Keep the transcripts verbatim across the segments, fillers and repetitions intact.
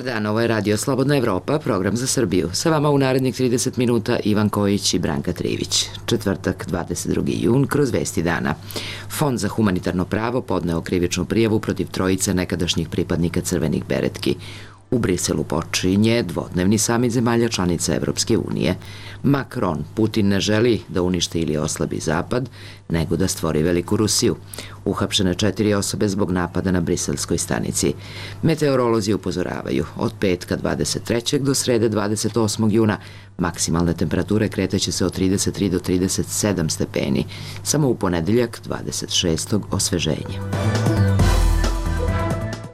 dan, ovo je Radio Slobodna Evropa, program za Srbiju. Sa vama u narednih trideset minuta Ivan Kojić i Branka Trivić. Četvrtak, dvadeset drugi jun, kroz vesti dana. Fond za humanitarno pravo podneo krivičnu prijavu protiv trojice nekadašnjih pripadnika crvenih beretki. U Briselu počinje dvodnevni samit zemalja članica Evropske unije. Macron, Putin ne želi da uništi ili oslabi Zapad, nego da stvori veliku Rusiju. Uhapšene četiri osobe zbog napada na briselskoj stanici. Meteorolozi upozoravaju, od petka dvadeset trećeg do srede dvadeset osmog juna maksimalne temperature kretaće se od trideset tri do trideset sedam stepeni, samo u ponedeljak dvadeset šestog osveženje.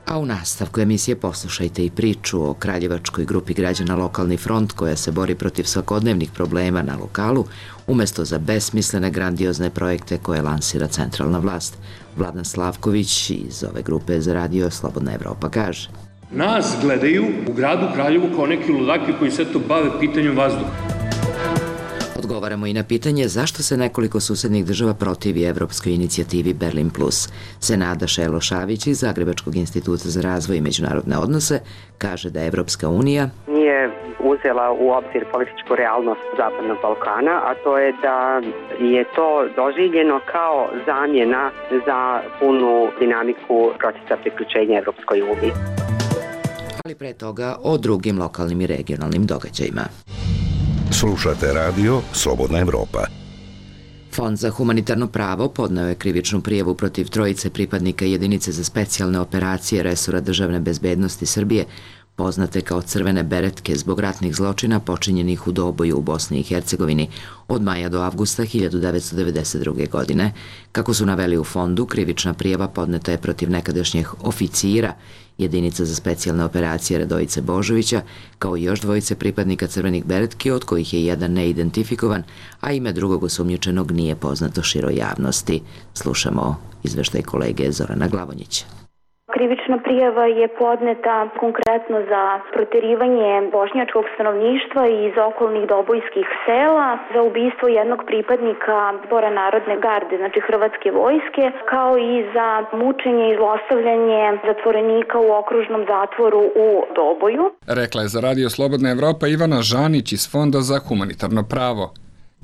A u nastavku emisije poslušajte i priču o kraljevačkoj grupi građana Lokalni front koja se bori protiv svakodnevnih problema na lokalu umesto za besmislene grandiozne projekte koje lansira centralna vlast. Vladan Slavković iz ove grupe za Radio Slobodna Evropa kaže: Nas gledaju u gradu Kraljevu kao neki ludaki koji se to bave pitanjem vazduha. Odgovaramo i na pitanje zašto se nekoliko susednih država protivi evropskoj inicijativi Berlin plus. Senada Šelo Šavić iz Zagrebačkog instituta za razvoj i međunarodne odnose kaže da Evropska unija nije uzela u obzir političku realnost Zapadnog Balkana, a to je da je to doživljeno kao zamjena za punu dinamiku procesa priključenja Evropskoj uniji. Ali pre toga o drugim lokalnim i regionalnim događajima. Slušate radio Slobodna Evropa. Fond za humanitarno pravo podneo je krivičnu prijavu protiv trojice pripadnika jedinice za specijalne operacije resora državne bezbednosti Srbije, poznate kao crvene beretke zbog ratnih zločina počinjenih u Doboju u Bosni i Hercegovini od maja do avgusta hiljadu devetsto devedeset druge. godine. Kako su naveli u fondu, krivična prijava podneta je protiv nekadašnjih oficira jedinica za specijalne operacije Radojice Božovića, kao i još dvojice pripadnika crvenih beretki, od kojih je jedan neidentifikovan, a ime drugog osumnjičenog nije poznato široj javnosti. Slušamo izveštaj kolege Zorana Glavonjića. Krivična prijava je podneta konkretno za proterivanje bošnjačkog stanovništva iz okolnih dobojskih sela, za ubistvo jednog pripadnika Zbora narodne garde, znači Hrvatske vojske, kao i za mučenje i zlostavljanje zatvorenika u okružnom zatvoru u Doboju. Rekla je za Radio Slobodna Evropa Ivana Žanić iz Fonda za humanitarno pravo.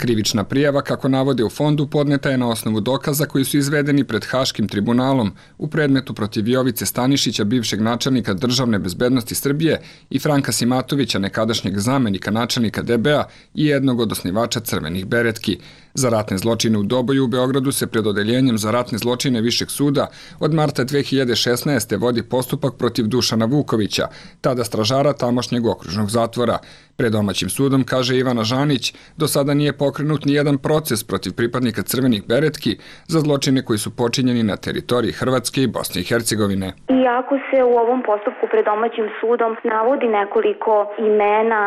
Krivična prijava, kako navode u fondu, podneta je na osnovu dokaza koji su izvedeni pred Haškim tribunalom u predmetu protiv Jovice Stanišića, bivšeg načelnika državne bezbednosti Srbije, i Franka Simatovića, nekadašnjeg zamenika načelnika D B A i jednog od osnivača crvenih beretki. Za ratne zločine u Doboju u Beogradu se pred odeljenjem za ratne zločine Višeg suda od marta dve hiljade šesnaeste. vodi postupak protiv Dušana Vukovića, tada stražara tamošnjeg okružnog zatvora. Pred domaćim sudom, kaže Ivana Žanić, do sada nije pokrenut ni jedan proces protiv pripadnika crvenih beretki za zločine koji su počinjeni na teritoriji Hrvatske i Bosne i Hercegovine. Iako se u ovom postupku pred domaćim sudom navodi nekoliko imena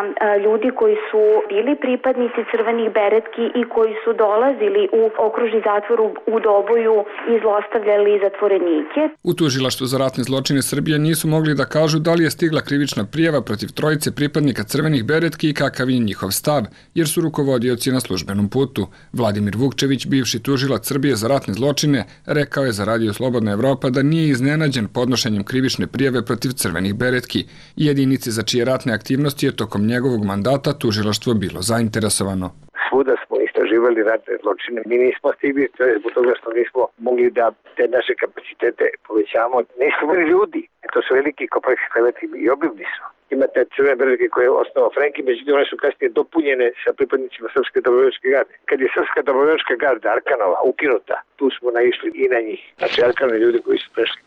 ljudi koji su bili pripadnici crvenih beretki i koji su dolazili u okružni zatvor u Doboju i zlostavljali zatvorenike. U tužilaštvu za ratne zločine Srbije nisu mogli da kažu da li je stigla krivična prijava protiv trojice pripadnika crvenih beretki i kakav je njihov stav, jer su rukovodioci na službenom putu. Vladimir Vukčević, bivši tužilac Srbije za ratne zločine, rekao je za Radio Slobodna Evropa da nije iznenađen podnošenjem krivične prijave protiv crvenih beretki i jedinice za čije ratne aktivnosti je tokom njegovog mandata tužilaštvo bilo zainteresovano. Svuda smo istraživali ratne zločine. Mi nismo stigli, to je zbog toga što nismo mogli da te naše kapacitete povećamo. Nismo bili ljudi. To su veliki kompleksi kleveti i obimni su. Imate crvene beretke koje je osnovao Frenki, međutim one su kasnije dopunjene sa pripadnicima Srpske dobrovoljačke garde. Kad je Srpska dobrovoljačka garda Arkanova ukinuta, tu smo naišli i na njih. Znači Arkanove ljudi koji su prešli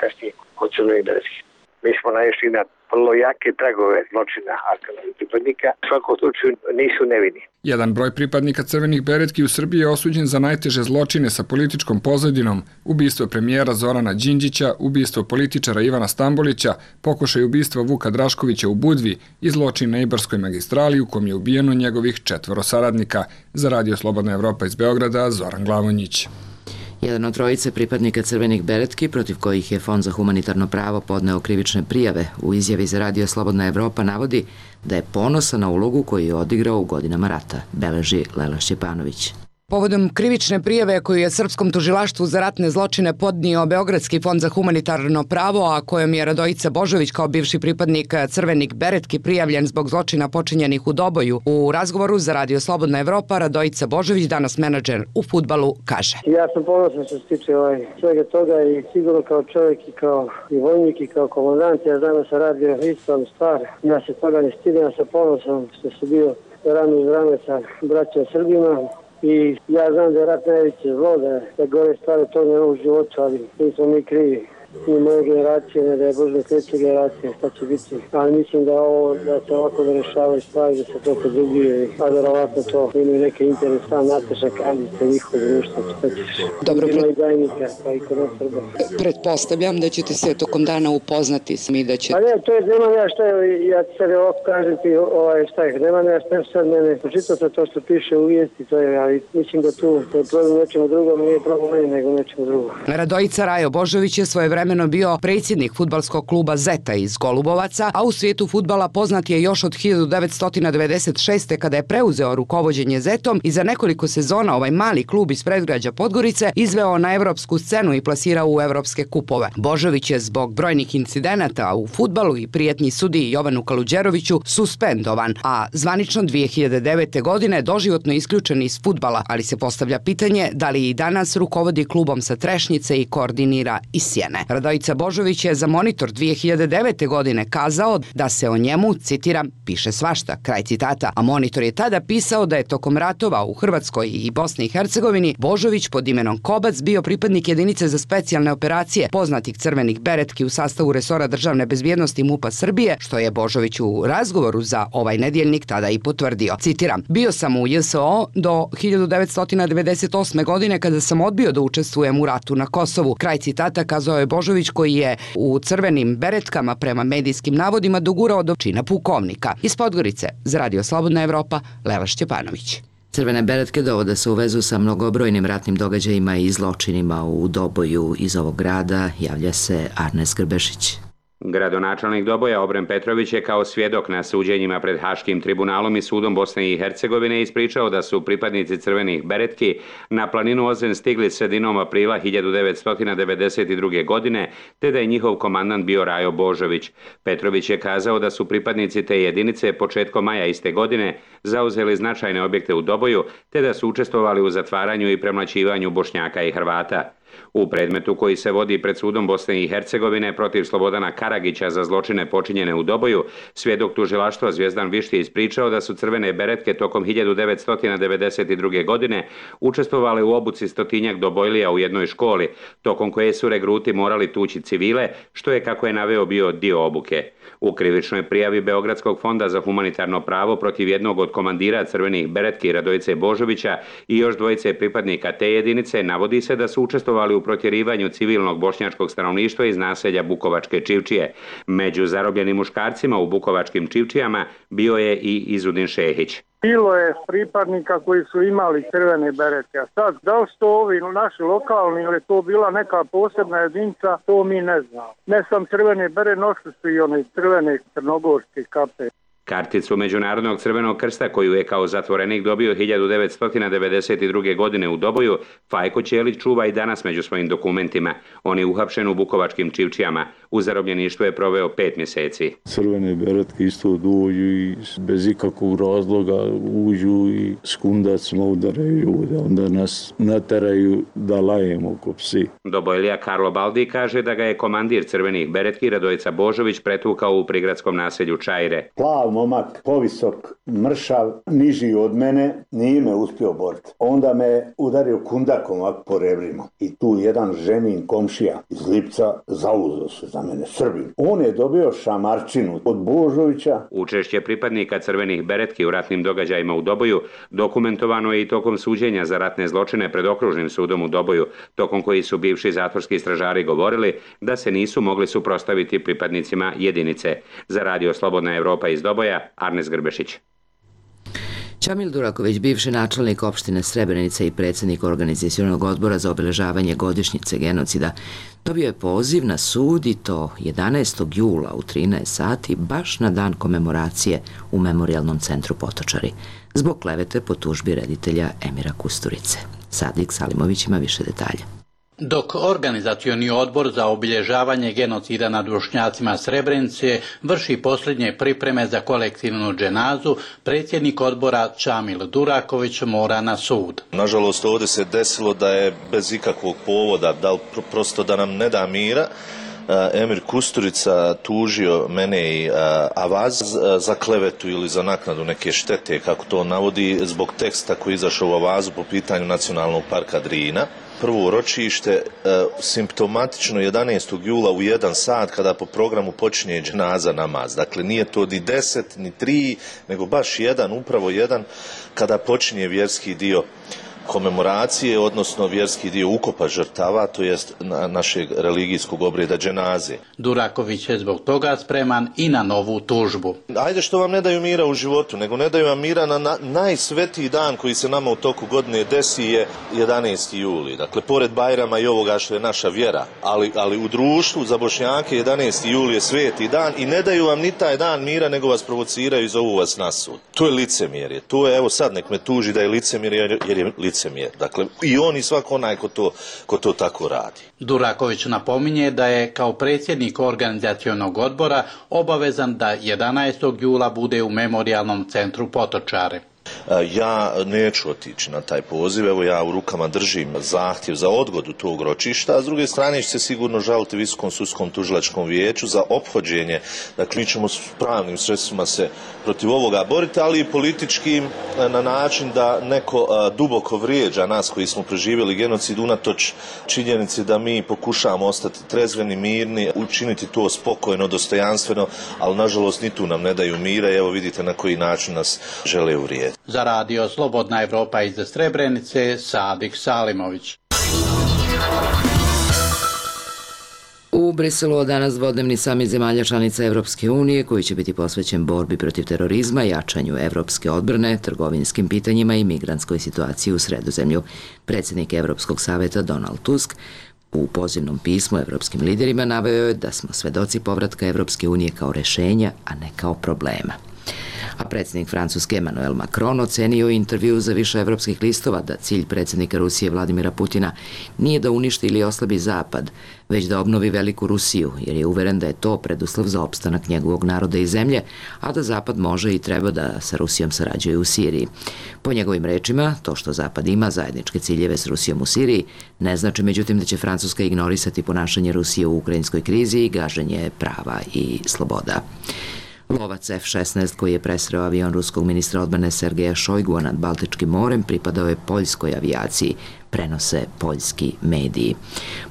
kasnije od crvenih beretki. Mi smo naišli na vrlo jake tragove zločina Arkanovih pripadnika. U svakom slučaju nisu nevini. Jedan broj pripadnika crvenih beretki u Srbiji je osuđen za najteže zločine sa političkom pozadinom: ubistvo premijera Zorana Đinđića, ubistvo političara Ivana Stambolića, pokušaj ubistva Vuka Draškovića u Budvi i zločin na Ibarskoj magistrali u kom je ubijeno njegovih četvoro saradnika. Za Radio Slobodna Evropa iz Beograda, Zoran Glavonjić. Jedan od trojice pripadnika crvenih beretki, protiv kojih je Fond za humanitarno pravo podneo krivične prijave, u izjavi za Radio Slobodna Evropa navodi da je ponosan na ulogu koju je odigrao u godinama rata, beleži Lela Šćepanović. Povodom krivične prijave koju je Srpskom tužilaštvu za ratne zločine podnio Beogradski fond za humanitarno pravo, a kojom je Radojica Božović kao bivši pripadnik Crvenih beretki prijavljen zbog zločina počinjenih u Doboju, u razgovoru za Radio Slobodna Evropa Radojica Božović, danas menadžer u fudbalu, kaže: Ja sam ponosan što se tiče ovaj, svega toga i sigurno kao čovjek i kao i vojnik i kao komandant, ja znam da sam radio ispravnu stvar, ja se toga ne stidim, ja sam ponosan što sam bio rame uz rame sa braćom Srbima. I ja znam da je rat najveće zlo, da, da gore stvari toga nema u životu, ali nismo mi krivi. Ni moje generacije, ne da je Bože kreće generacije, šta će biti. Ali mislim da ovo, da se ovako da rešavaju stvari, da se to podubije, a verovatno to imaju neke interes, sam Nataša Kandić, njihov društvo, šta ćeš. Dobro, ima i dajnika, pa i kod nas Srba. Pretpostavljam da ćete se tokom dana upoznati s mi, da će... Pa ne, to je, nema ja šta je, ja ti sad ovako kažem ti, ovaj, šta je, nema ja šta sad mene, pročitao sam to što piše u vijesti, to je, ali mislim da tu, to je problem nečemu drugom, nije problem meni, nego nečemu drugom. Radojica Rajo Božović je svoje vremeno bio predsjednik fudbalskog kluba Zeta iz Golubovaca, a u svijetu fudbala poznat je još od hiljadu devetsto devedeset šeste. kada je preuzeo rukovođenje Zetom i za nekoliko sezona ovaj mali klub iz predgrađa Podgorice izveo na evropsku scenu i plasirao u evropske kupove. Božović je zbog brojnih incidenata u fudbalu i prijetnji sudiji Jovanu Kaluđeroviću suspendovan, a zvanično dvije hiljade devete. godine doživotno isključen iz fudbala, ali se postavlja pitanje da li i danas rukovodi klubom sa Trešnjice i koordinira iz Sjene. Radojica Božović je za Monitor dvije hiljade devete. godine kazao da se o njemu, citiram, piše svašta, kraj citata, a Monitor je tada pisao da je tokom ratova u Hrvatskoj i Bosni i Hercegovini Božović pod imenom Kobac bio pripadnik jedinice za specijalne operacije poznatih Crvenih beretki u sastavu resora državne bezbjednosti MUP-a Srbije, što je Božović u razgovoru za ovaj nedjeljnik tada i potvrdio. Citiram: bio sam u J S O do hiljadu devetsto devedeset osme. godine kada sam odbio da učestvujem u ratu na Kosovu. Kraj citata, kazao je Božović, koji je u Crvenim beretkama prema medijskim navodima dogurao do čina pukovnika. Iz Podgorice za Radio Slobodna Evropa, Lela Šćepanović. Crvene beretke dovode se u vezu sa mnogobrojnim ratnim događajima i zločinima u Doboju. Iz ovog grada javlja se Arnes Grbešić. Gradonačelnik Doboja Obren Petrović je kao svjedok na suđenjima pred Haškim tribunalom i sudom Bosne i Hercegovine ispričao da su pripadnici Crvenih beretki na planinu Ozren stigli sredinom aprila hiljadu devetsto devedeset druge. godine, te da je njihov komandant bio Rajo Božović. Petrović je kazao da su pripadnici te jedinice početkom maja iste godine zauzeli značajne objekte u Doboju, te da su učestvovali u zatvaranju i premlaćivanju Bošnjaka i Hrvata. U predmetu koji se vodi pred sudom Bosne i Hercegovine protiv Slobodana Karagića za zločine počinjene u Doboju, svjedok tužilaštva Zvijezdan Višti ispričao da su Crvene beretke tokom hiljadu devetsto devedeset druge. godine učestvovali u obuci stotinjak dobojlija u jednoj školi, tokom koje su regruti morali tući civile, što je, kako je naveo, bio dio obuke. U krivičnoj prijavi Beogradskog fonda za humanitarno pravo protiv jednog od komandira Crvenih beretki Radojice Božovića i još dvojice pripadnika te jedinice navodi se da su učestvovali u protjerivanju civilnog bošnjačkog stanovništva iz naselja Bukovačke Čivčije. Među zarobljenim muškarcima u Bukovačkim Čivčijama bio je i Izudin Šehić. Bilo je pripadnika koji su imali crvene beretke, a sad da li su to ovi naši lokalni ili to bila neka posebna jedinica, to mi ne znamo. Ne sam crvene bere, nosili su i one crvene crnogorske kape. Karticu Međunarodnog crvenog krsta, koju je kao zatvorenik dobio hiljadu devetsto devedeset druge. godine u Doboju, Fajko Ćelić čuva i danas među svojim dokumentima. On je uhapšen u Bukovačkim Čivčijama. U zarobljeništvu je proveo pet mjeseci. Crvene beretke isto dođu i bez ikakvog razloga uđu i s kundacima udaraju ljude. Onda nas nateraju da lajemo ko psi. Dobojlija Karlo Baldi kaže da ga je komandir Crvenih beretki Radojica Božović pretukao u prigradskom naselju Čajre. Plav momak, povisok, mršav, niži od mene, nije me uspio boriti. Onda me udario kundakom ovak po rebrima. I tu jedan ženin komšija iz Lipca zauzeo se za mene, Srbin. On je dobio šamarčinu od Božovića. Učešće pripadnika Crvenih beretki u ratnim događajima u Doboju dokumentovano je i tokom suđenja za ratne zločine pred okružnim sudom u Doboju, tokom koji su bivši zatvorski stražari govorili da se nisu mogli suprotstaviti pripadnicima jedinice. Za Radio Slobodna Evropa iz Doboja, Arnes Grbešić. Čamil Duraković, bivši načelnik opštine Srebrenica i predsjednik organizacionog odbora za obeležavanje godišnjice genocida, dobio je poziv na sud i to jedanaestog jula u trinaest sati, baš na dan komemoracije u Memorijalnom centru Potočari, zbog klevete po tužbi reditelja Emira Kusturice. Sadik Salimović ima više detalja. Dok organizacioni odbor za obilježavanje genocida nad Bošnjacima Srebrenice vrši posljednje pripreme za kolektivnu dženazu, predsjednik odbora Čamil Duraković mora na sud. Nažalost, ovdje se desilo da je bez ikakvog povoda, da li prosto da nam ne da mira, Emir Kusturica tužio mene i Avaz za klevetu ili za naknadu neke štete, kako to navodi, zbog teksta koji je izašao u Avazu po pitanju Nacionalnog parka Drina. Prvo ročište e, simptomatično jedanaestog jula u jedan sat kada po programu počinje dženaza namaz. Dakle, nije to ni deset, ni tri, nego baš jedan, upravo jedan, kada počinje vjerski dio komemoracije, odnosno vjerski dio ukopa žrtava, to jest na našeg religijskog obreda dženaze. Duraković je zbog toga spreman i na novu tužbu. Ajde što vam ne daju mira u životu, nego ne daju vam mira na, na najsvetiji dan koji se nama u toku godine desi je jedanaesti juli. Dakle, pored Bajrama i ovoga što je naša vjera, ali, ali u društvu za Bošnjake jedanaesti juli je sveti dan i ne daju vam ni taj dan mira, nego vas provociraju i zovu vas na sud. To je licemjerje. To je, evo sad nek me tuži da je licemjerje, jer je licemjerje. Dakle, i on i svako onaj ko to, ko to tako radi. Duraković napominje da je kao predsjednik organizacionog odbora obavezan da jedanaestog jula bude u Memorijalnom centru Potočare. Ja neću otići na taj poziv, evo ja u rukama držim zahtjev za odgodu tog ročišta, a s druge strane će se sigurno žaliti Visokom sudskom tužilačkom vijeću za ophođenje. Dakle, mi ćemo s pravnim sredstvima se protiv ovoga boriti, ali i političkim na način da neko duboko vrijeđa nas koji smo preživjeli genocid unatoč činjenici da mi pokušavamo ostati trezveni, mirni, učiniti to spokojno, dostojanstveno, ali nažalost ni tu nam ne daju mira i evo vidite na koji način nas žele uvrijediti. Za radio Slobodna Evropa iz Srebrenice, Sadik Salimović. U Briselu od danas dvodnevni samit zemalja članica Evropske unije koji će biti posvećen borbi protiv terorizma, jačanju evropske odbrane, trgovinskim pitanjima i migrantskoj situaciji u Sredozemlju. Predsjednik Evropskog saveta Donald Tusk u pozivnom pismu evropskim liderima naveo je da smo svedoci povratka Evropske unije kao rešenja, a ne kao problema. A predsjednik Francuske Emmanuel Macron ocenio intervju za više evropskih listova da cilj predsjednika Rusije Vladimira Putina nije da uništi ili oslabi Zapad, već da obnovi veliku Rusiju, jer je uveren da je to preduslov za opstanak njegovog naroda i zemlje, a da Zapad može i treba da sa Rusijom sarađuje u Siriji. Po njegovim rečima, to što Zapad ima zajedničke ciljeve s Rusijom u Siriji, ne znači međutim da će Francuska ignorisati ponašanje Rusije u ukrajinskoj krizi i gaženje prava i sloboda. Lovac F šesnaest koji je presreo avion ruskog ministra odbrane Sergeja Šojgua nad Baltičkim morem pripadao je poljskoj avijaciji, prenose poljski mediji.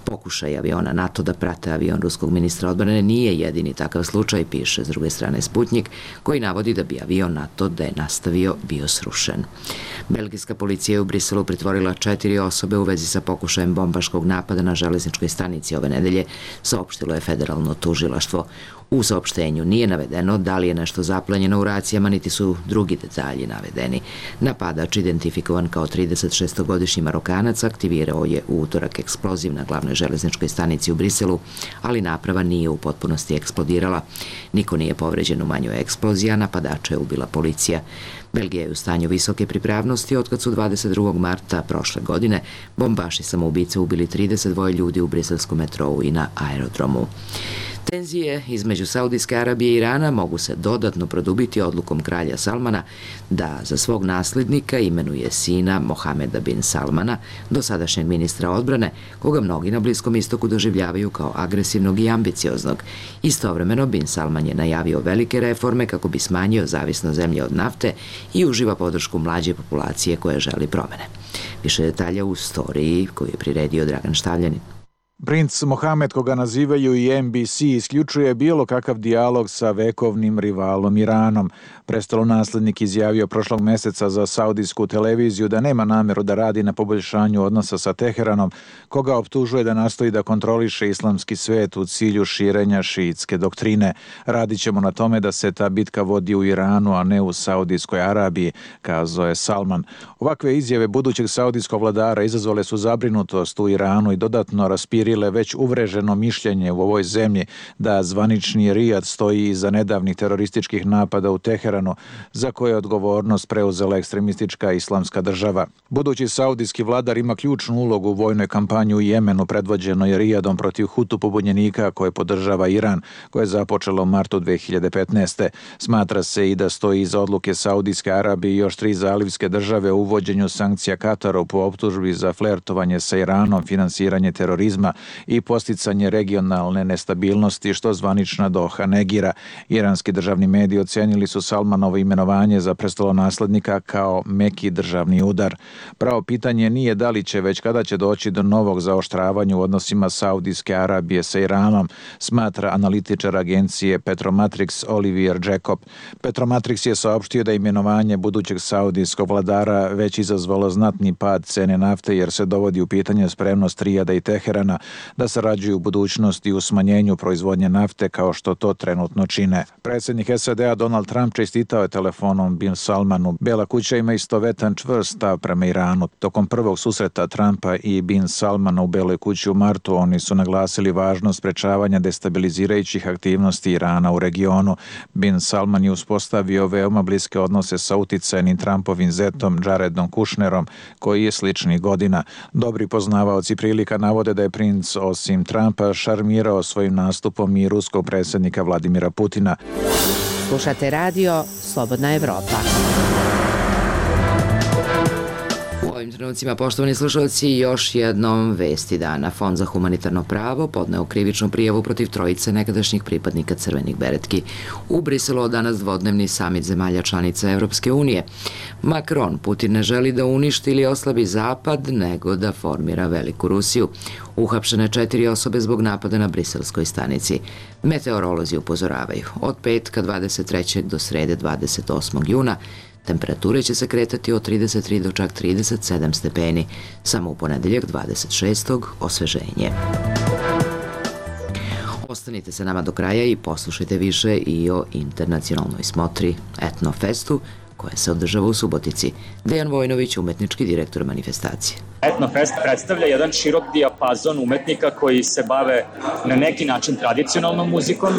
Pokušaj aviona NATO da prate avion ruskog ministra odbrane nije jedini takav slučaj, piše s druge strane Sputnik, koji navodi da bi avion NATO da je nastavio bio srušen. Belgijska policija je u Briselu pritvorila četiri osobe u vezi sa pokušajem bombaškog napada na železničkoj stanici ove nedelje, saopštilo je federalno tužilaštvo. U saopštenju nije navedeno da li je nešto zaplenjeno u racijama, niti su drugi detalji navedeni. Napadač, identifikovan kao tridesetšestogodišnji Marokanac, aktivirao je u utorak eksploziv na glavnoj železničkoj stanici u Briselu, ali naprava nije u potpunosti eksplodirala. Niko nije povređen u manjoj eksploziji, a napadača je ubila policija. Belgija je u stanju visoke pripravnosti otkad su dvadeset drugog marta prošle godine bombaši samoubice ubili trideset dva ljudi u briselskom metrou i na aerodromu. Tenzije između Saudijske Arabije i Irana mogu se dodatno produbiti odlukom kralja Salmana da za svog nasljednika imenuje sina Mohameda bin Salmana, dosadašnjeg ministra odbrane, koga mnogi na Bliskom istoku doživljavaju kao agresivnog i ambicioznog. Istovremeno bin Salman je najavio velike reforme kako bi smanjio zavisnost zemlje od nafte i uživa podršku mlađe populacije koje želi promene. Više detalja u storiji koju je priredio Dragan Štavljanin. Princ Mohamed, koga nazivaju i N B C, isključuje bilo kakav dijalog sa vekovnim rivalom Iranom. Prestolonaslednik izjavio prošlog meseca za saudijsku televiziju da nema nameru da radi na poboljšanju odnosa sa Teheranom, koga optužuje da nastoji da kontroliše islamski svet u cilju širenja šiitske doktrine. Radit ćemo na tome da se ta bitka vodi u Iranu, a ne u Saudijskoj Arabiji, kazao je Salman. Ovakve izjave budućeg saudijskog vladara izazvale su zabrinutost u Iranu i dodatno raspirile već uvreženo mišljenje u ovoj zemlji da zvanični Rijad stoji iza nedavnih terorističkih napada u Teheranu, za koje je odgovornost preuzela ekstremistička islamska država. Budući saudijski vladar ima ključnu ulogu u vojnoj kampanji u Jemenu predvođenoj Rijadom protiv Hutu pobunjenika koje podržava Iran, koje je započelo u martu dve hiljade petnaeste. Smatra se i da stoji iza odluke Saudijske Arabije i još tri zalivske države u uvođenju sankcija Kataru po optužbi za flertovanje sa Iranom, finansiranje terorizma i posticanje regionalne nestabilnosti, što zvanična Doha negira. Iranski državni mediji ocenili su Salmanovo imenovanje za prestolonaslednika kao meki državni udar. Pravo pitanje nije da li će, već kada će doći do novog zaoštravanja u odnosima Saudijske Arabije sa Iranom, smatra analitičar agencije Petromatrix Olivier Jacob. Petromatrix je saopštio da imenovanje budućeg saudijskog vladara već izazvalo znatni pad cene nafte jer se dovodi u pitanje spremnost Rijada i Teherana da sarađuju u budućnosti u smanjenju proizvodnje nafte kao što to trenutno čine. Predsjednik S A D-a Donald Trump čestitao je telefonom bin Salmanu. Bela kuća ima istovetan čvrst stav prema Iranu. Tokom prvog susreta Trumpa i bin Salmana u Beloj kući u martu oni su naglasili važnost sprečavanja destabilizirajućih aktivnosti Irana u regionu. Bin Salman je uspostavio veoma bliske odnose sa uticajnim Trumpovim zetom Jaredom Kushnerom, koji je sličnih godina. Dobri poznavaoci prilika navode da je princ osim Trumpa šarmirao svojim nastupom i ruskog predsjednika Vladimira Putina. Slušate radio Slobodna Evropa. U ovim trenucima, poštovani slušalci, još jednom vesti dana. Fond za humanitarno pravo podneo krivičnu prijavu protiv trojice nekadašnjih pripadnika crvenih beretki. U Briselu od danas dvodnevni samit zemalja članica Evropske unije. Macron, Putin ne želi da uništi ili oslabi Zapad, nego da formira veliku Rusiju. Uhapšene četiri osobe zbog napada na briselskoj stanici. Meteorolozi upozoravaju. Od petka dvadeset trećeg do srede dvadeset osmog juna temperature će se kretati od trideset tri do čak trideset sedam stepeni. Samo u ponedeljak dvadeset šestog osveženje. Ostanite sa nama do kraja i poslušajte više i o internacionalnoj smotri Etnofestu, koja se održava u Subotici. Dejan Vojnović, umetnički direktor manifestacije. Etnofest predstavlja jedan širok dijapazon umetnika koji se bave na neki način tradicionalnom muzikom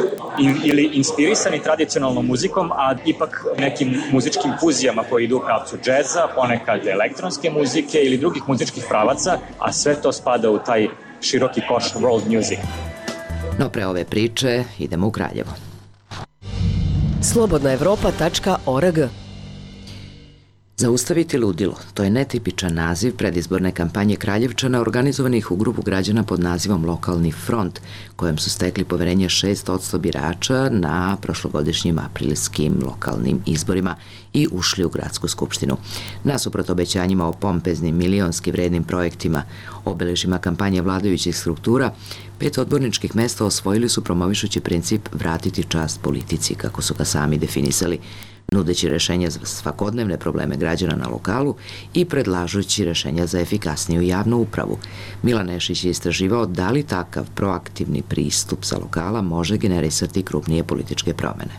ili inspirisani tradicionalnom muzikom, a ipak nekim muzičkim fuzijama koji idu u pravcu džeza, ponekad elektronske muzike ili drugih muzičkih pravaca, a sve to spada u taj široki koš world music. No pre ove priče idemo u Kraljevo. slobodna evropa tačka org. Zaustaviti ludilo, to je netipičan naziv predizborne kampanje Kraljevčana organizovanih u grupu građana pod nazivom Lokalni front, kojem su stekli poverenje šest posto birača na prošlogodišnjim aprilskim lokalnim izborima i ušli u gradsku skupštinu. Nasuprot obećanjima o pompeznim milionski vrednim projektima, obeležima kampanje vladajućih struktura, pet odborničkih mesta osvojili su promovišući princip vratiti čast politici, kako su ga sami definisali, nudeći rešenja za svakodnevne probleme građana na lokalu i predlažući rešenja za efikasniju javnu upravu. Milan Nešić je istraživao da li takav proaktivni pristup sa lokala može generisati krupnije političke promene.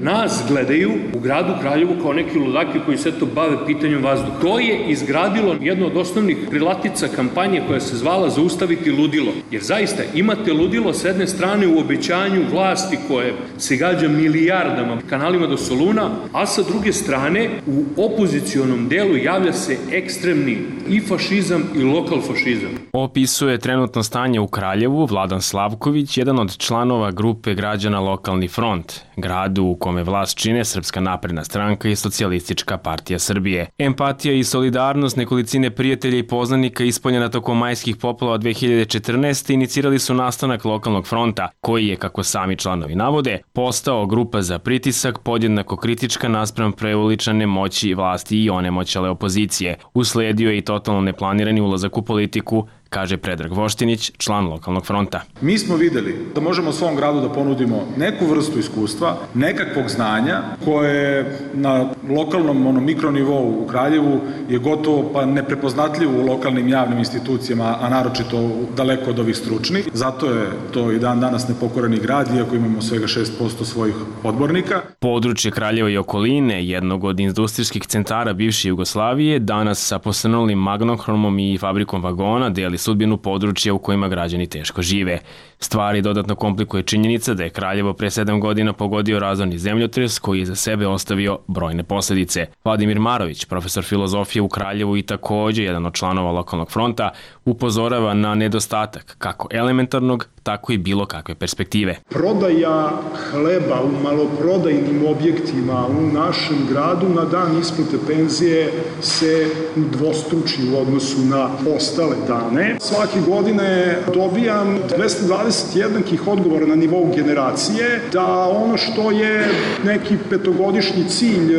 Nas gledaju u gradu Kraljevu kao neki ludaki koji se to bave pitanjem vazduha. To je izgradilo jedno od osnovnih krilatica kampanje koja se zvala Zaustaviti ludilo. Jer zaista imate ludilo s jedne strane u obećanju vlasti koje se gađa milijardama kanalima do Soluna, a sa druge strane u opozicionom delu javlja se ekstremni i fašizam i lokal fašizam. Opisuje trenutno stanje u Kraljevu Vladan Slavković, jedan od članova grupe građana Lokalni front, gradu u kome vlast čine Srpska napredna stranka i Socijalistička partija Srbije. Empatija i solidarnost nekolicine prijatelja i poznanika ispoljena tokom majskih poplava dve hiljade četrnaeste. inicirali su nastanak Lokalnog fronta, koji je, kako sami članovi navode, postao grupa za pritisak podjednako kritička naspram preuličane moći vlasti i onemoćale opozicije. Usledio je i totalno neplanirani ulazak u politiku, kaže Predrag Voštinić, član lokalnog fronta. Mi smo videli da možemo svom gradu da ponudimo neku vrstu iskustva, nekakvog znanja koje na lokalnom ono, mikronivou u Kraljevu je gotovo pa neprepoznatljivo u lokalnim javnim institucijama, a naročito daleko od ovih stručnih. Zato je to i dan danas nepokoreni grad, iako imamo svega šest posto svojih odbornika. Područje Kraljeva i okoline, jednog od industrijskih centara bivše Jugoslavije, danas sa posrnulim Magnohromom i fabrikom vagona deli sudbinu područja u kojima građani teško žive. Stvari dodatno komplikuje činjenica da je Kraljevo pre sedam godina pogodio razorni zemljotres koji je za sebe ostavio brojne posledice. Vladimir Marović, profesor filozofije u Kraljevu i takođe jedan od članova lokalnog fronta, upozorava na nedostatak kako elementarnog, tako i bilo kakve perspektive. Prodaja hleba u maloprodajnim objektima u našem gradu na dan isplate penzije se udvostruči u odnosu na ostale dane. Svake godine dobijam dvesta dvadeset jednakih odgovora na nivou generacije da ono što je neki petogodišnji cilj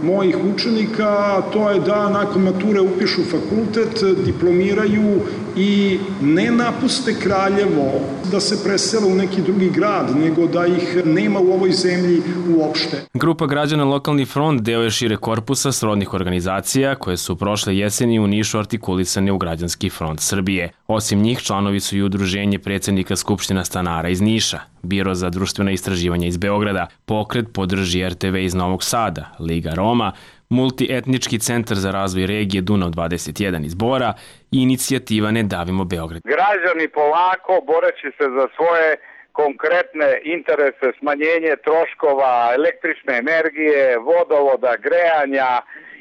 mojih učenika, to je da nakon mature upišu fakultet, diplomiraju i ne napuste Kraljevo, da se presele u neki drugi grad, nego da ih nema u ovoj zemlji uopšte. Grupa građana Lokalni front deo je šire korpusa srodnih organizacija koje su prošle jeseni u Nišu artikulisane u Građanski front Srbije. Osim njih, članovi su i udruženje predsednika Skupština stanara iz Niša, Biro za društvena istraživanja iz Beograda, Pokret podrži er te ve iz Novog Sada, Liga Roma, Multietnički centar za razvoj regije Dunav dvadeset jedan iz Bora i inicijativa Ne davimo Beograd. Građani polako, boreći se za svoje konkretne interese, smanjenje troškova električne energije, vodovoda, grejanja,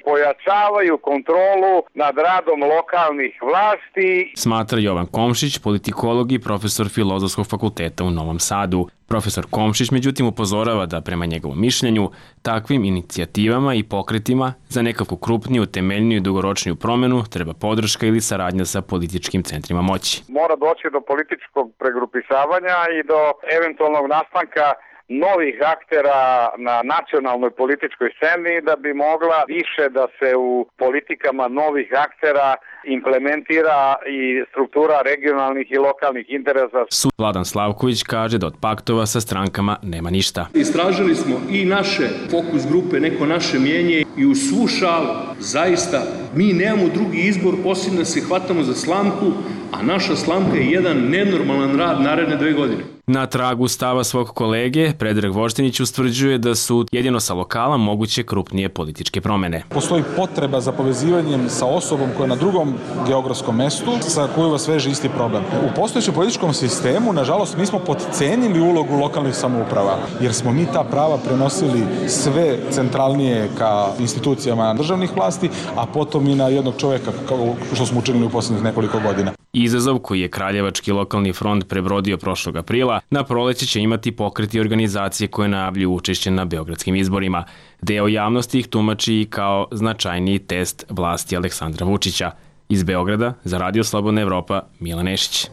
pojačavaju kontrolu nad radom lokalnih vlasti. Smatra Jovan Komšić, politikolog i profesor Filozofskog fakulteta u Novom Sadu. Profesor Komšić međutim upozorava da prema njegovom mišljenju takvim inicijativama i pokretima za nekakvu krupniju, temeljniju i dugoročniju promenu treba podrška ili saradnja sa političkim centrima moći. Mora doći do političkog pregrupisavanja i do eventualnog nastanka novih aktera na nacionalnoj političkoj sceni da bi mogla više da se u politikama novih aktera implementira i struktura regionalnih i lokalnih interesa. Vladan Slavković kaže da od paktova sa strankama nema ništa. Istražili smo i naše fokus grupe, neko naše mijenje i u svu šalu zaista mi nemamo drugi izbor osim da se hvatamo za slamku, a naša slamka je jedan nenormalan rad naredne dve godine. Na tragu stava svog kolege, Predrag Voštinić ustvrđuje da su jedino sa lokala moguće krupnije političke promene. Postoji potreba za povezivanjem sa osobom koja je na drugom geografskom mestu, sa kojoj vas veže isti problem. U postojećem političkom sistemu, nažalost, mi smo podcenili ulogu lokalnih samouprava, jer smo mi ta prava prenosili sve centralnije ka institucijama državnih vlasti, a potom i na jednog čoveka, kao što smo učinili u poslednjih nekoliko godina. Izazov koji je Kraljevački lokalni front prebrodio prošlog aprila, na proleće će imati pokreti organizacije koje najavljuju učešće na beogradskim izborima. Deo javnosti ih tumači i kao značajniji test vlasti Aleksandra Vučića. Iz Beograda, za Radio Slobodna Evropa, Milan Nešić.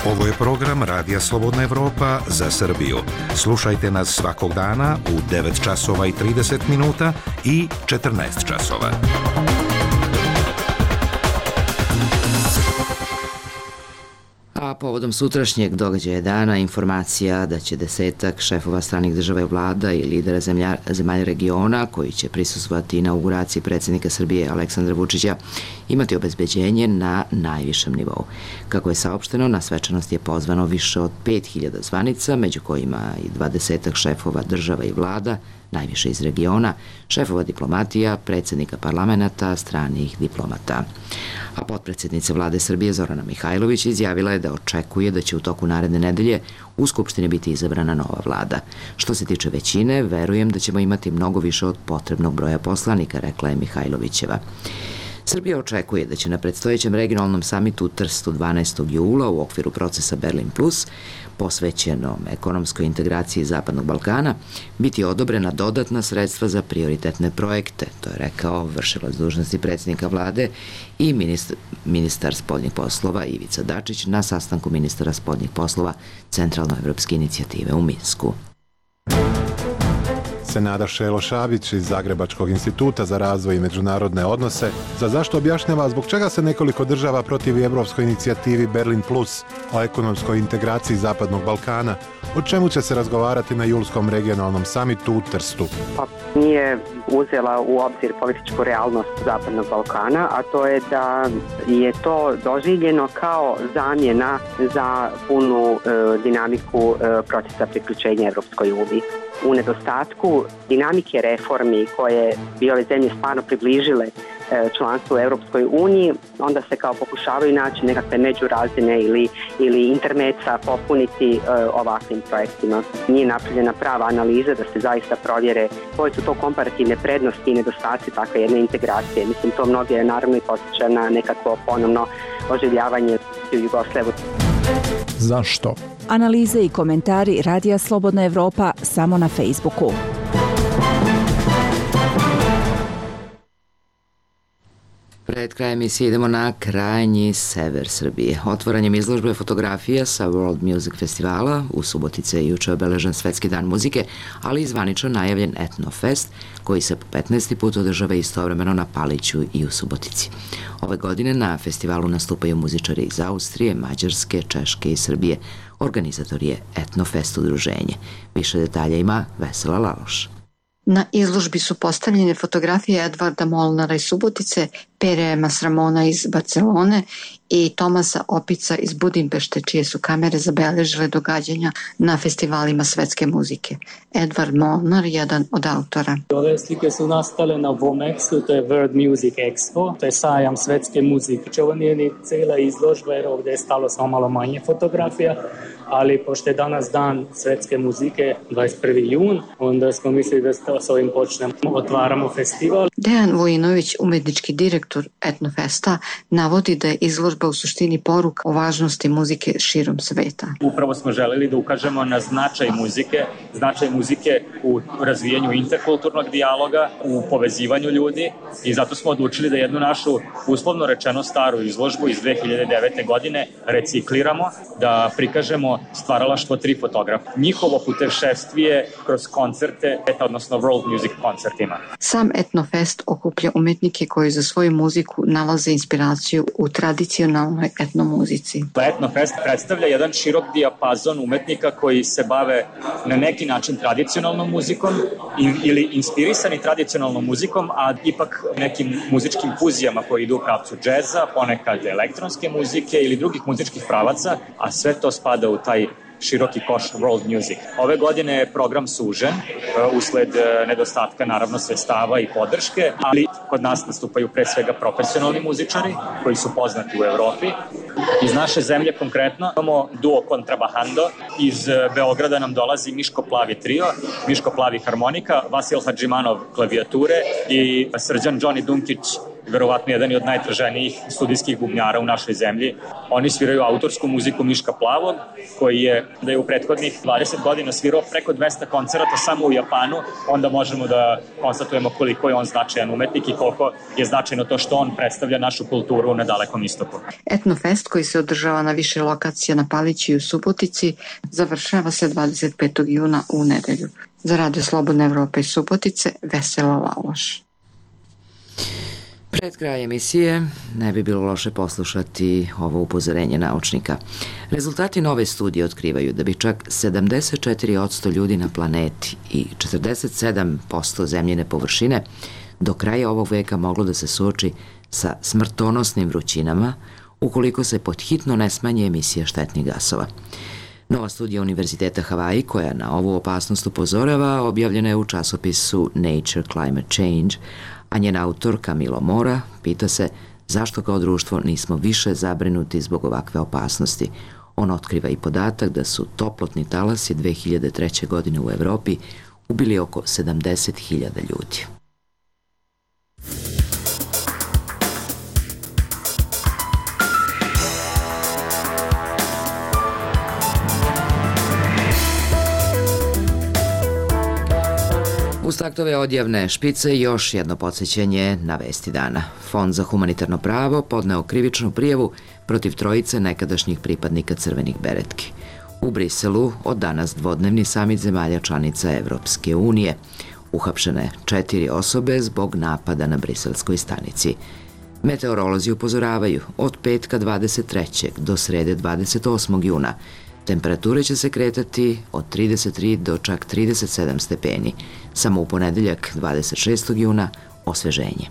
Ovo je program Radija Slobodna Evropa za Srbiju. Slušajte nas svakog dana u devet časova i trideset minuta i četrnaest časova. A povodom sutrašnjeg događaja dana informacija da će desetak šefova stranih država i vlada i lidera zemlja, zemalja regiona koji će prisustvovati inauguraciji predsjednika Srbije Aleksandra Vučića imati obezbeđenje na najvišem nivou. Kako je saopšteno, na svečanost je pozvano više od pet hiljada zvanica, među kojima i dvadesetak šefova država i vlada, najviše iz regiona, šefova diplomatija, predsjednika parlamenta, stranih diplomata. A potpredsjednica vlade Srbije Zorana Mihajlović izjavila je da očekuje da će u toku naredne nedelje u Skupštini biti izabrana nova vlada. Što se tiče većine, verujem da ćemo imati mnogo više od potrebnog broja poslanika, rekla je Mihajlovićeva. Srbija očekuje da će na predstojećem regionalnom samitu u Trstu dvanaestog jula u okviru procesa Berlin plus, posvećenom ekonomskoj integraciji Zapadnog Balkana, biti odobrena dodatna sredstva za prioritetne projekte, to je rekao vršilac dužnosti predsjednika vlade i ministar, ministar spoljnih poslova Ivica Dačić na sastanku ministara spoljnih poslova Centralnoevropske inicijative u Minsku. se Nada Šelo-Šabić iz Zagrebačkog instituta za razvoj i međunarodne odnose za zašto objašnjava zbog čega se nekoliko država protivi evropskoj inicijativi Berlin Plus o ekonomskoj integraciji Zapadnog Balkana, o čemu će se razgovarati na julskom regionalnom samitu u Trstu. Pa nije uzela u obzir političku realnost Zapadnog Balkana, a to je da je to doživljeno kao zamjena za punu e, dinamiku e, procesa priključenja Evropskoj uniji. U nedostatku dinamike reformi koje bi ove zemlje stvarno približile e, članstvu u Evropskoj uniji, onda se kao pokušavaju naći nekakve međurazine ili, ili intermeca popuniti e, ovakvim projektima. Nije napravljena prava analiza da se zaista provjere koje su to komparativne prednosti i nedostaci takve jedne integracije. Mislim, to mnoge naravno i posjeća na nekakvo ponovno oživljavanje u Jugoslaviju. Zašto? Analize i komentari Radija Slobodna Evropa samo na Facebooku. Pred krajem emisije idemo na krajnji sever Srbije. Otvaranjem izložbe fotografija sa World Music Festivala u Subotici je juče obeležen Svetski dan muzike, ali i zvanično najavljen Etnofest, koji se po petnaesti put održava istovremeno na Paliću i u Subotici. Ove godine na festivalu nastupaju muzičari iz Austrije, Mađarske, Češke i Srbije. Organizator je Etnofest udruženje. Više detalja ima Vesela Laloš. Na izložbi su postavljene fotografije Edvarda Molnara iz Subotice, Pere Masramona iz Barcelone i Tomasa Opica iz Budimpešte, čije su kamere zabeležile događanja na festivalima svetske muzike. Edvard Molnar je jedan od autora. Ove slike su nastale na Vomexu, to je World Music Expo, to je sajam svetske muzike. Ovo nije ni cijela izložba, jer ovdje je stalo samo malo manje fotografija, ali pošto je danas dan svetske muzike, dvadeset prvi jun, onda smo mislili da s ovim počnemo, otvaramo festival. Dejan Vojinović, umetnički direktor Etnofesta, navodi da je izložba u suštini poruka o važnosti muzike širom sveta. Upravo smo želeli da ukažemo na značaj muzike, značaj muzike u razvijanju interkulturnog dijaloga, u povezivanju ljudi, i zato smo odlučili da jednu našu, uslovno rečeno, staru izložbu iz dve hiljade devete. godine recikliramo, da prikažemo stvaralaštvo tri fotografa. Njihovo putešestvije kroz koncerte, odnosno World Music koncertima. Sam Etnofest okuplja umetnike koji za svoju muziku nalaze inspiraciju u tradicionalnoj etnomuzici. Etnofest predstavlja jedan širok dijapazon umetnika koji se bave na neki način tradicionalnom muzikom ili inspirisani tradicionalnom muzikom, a ipak nekim muzičkim fuzijama koji idu u pravcu džeza, ponekad elektronske muzike ili drugih muzičkih pravaca, a sve to spada u taj široki koš world music. Ove godine je program sužen usled nedostatka naravno sredstava i podrške, ali kod nas nastupaju pre svega profesionalni muzičari koji su poznati u Evropi. Iz naše zemlje konkretno imamo duo Kontrabahando, iz Beograda nam dolazi Miško Plavi trio, Miško Plavi harmonika, Vasil Hadžimanov klavijature i Srđan Johnny Dunkić, verovatno jedan od najtraženijih studijskih bubnjara u našoj zemlji. Oni sviraju autorsku muziku Miška Plavog, koji je da je u prethodnih dvadeset godina svirao preko dvesta koncerata samo u Japanu, onda možemo da konstatujemo koliko je on značajan umetnik i koliko je značajno to što on predstavlja našu kulturu na Dalekom istoku. Etnofest, koji se održava na više lokacija na Palići i u Subotici, završava se dvadeset petog juna u nedelju. Za Radio Slobodna Evropa iz Subotice, Vesela Laloš. Pred kraj emisije ne bi bilo loše poslušati ovo upozorenje naučnika. Rezultati nove studije otkrivaju da bi čak sedamdeset četiri posto ljudi na planeti i četrdeset sedam posto zemljine površine do kraja ovog veka moglo da se suoči sa smrtonosnim vrućinama ukoliko se podhitno ne smanje emisija štetnih gasova. Nova studija Univerziteta Havaji, koja na ovu opasnost upozorava, objavljena je u časopisu Nature Climate Change, a njen autor Camilo Mora pita se zašto kao društvo nismo više zabrinuti zbog ovakve opasnosti. On otkriva i podatak da su toplotni talasi dve hiljade treće. godine u Evropi ubili oko sedamdeset hiljada ljudi. Uz taktove odjavne špice još jedno podsjećanje na vesti dana. Fond za humanitarno pravo podneo krivičnu prijavu protiv trojice nekadašnjih pripadnika crvenih beretki. U Briselu od danas dvodnevni samit zemalja članica Evropske unije. Uhapšene četiri osobe zbog napada na briselskoj stanici. Meteorolozi upozoravaju od petka dvadeset trećeg do srede dvadeset osmog juna. Temperature će se kretati od trideset tri do čak trideset sedam stepeni. Samo u ponedeljak dvadeset šestog juna osveženje.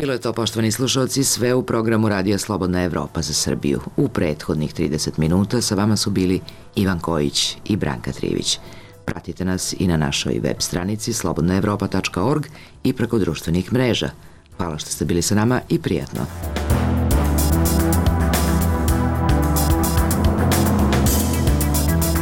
Bilo je to, poštovani slušalci, sve u programu Radija Slobodna Evropa za Srbiju. U prethodnih trideset minuta sa vama su bili Ivan Kojić i Branka Trivić. Pratite nas i na našoj web stranici slobodna evropa tačka org i preko društvenih mreža. Hvala što ste bili sa nama i prijatno.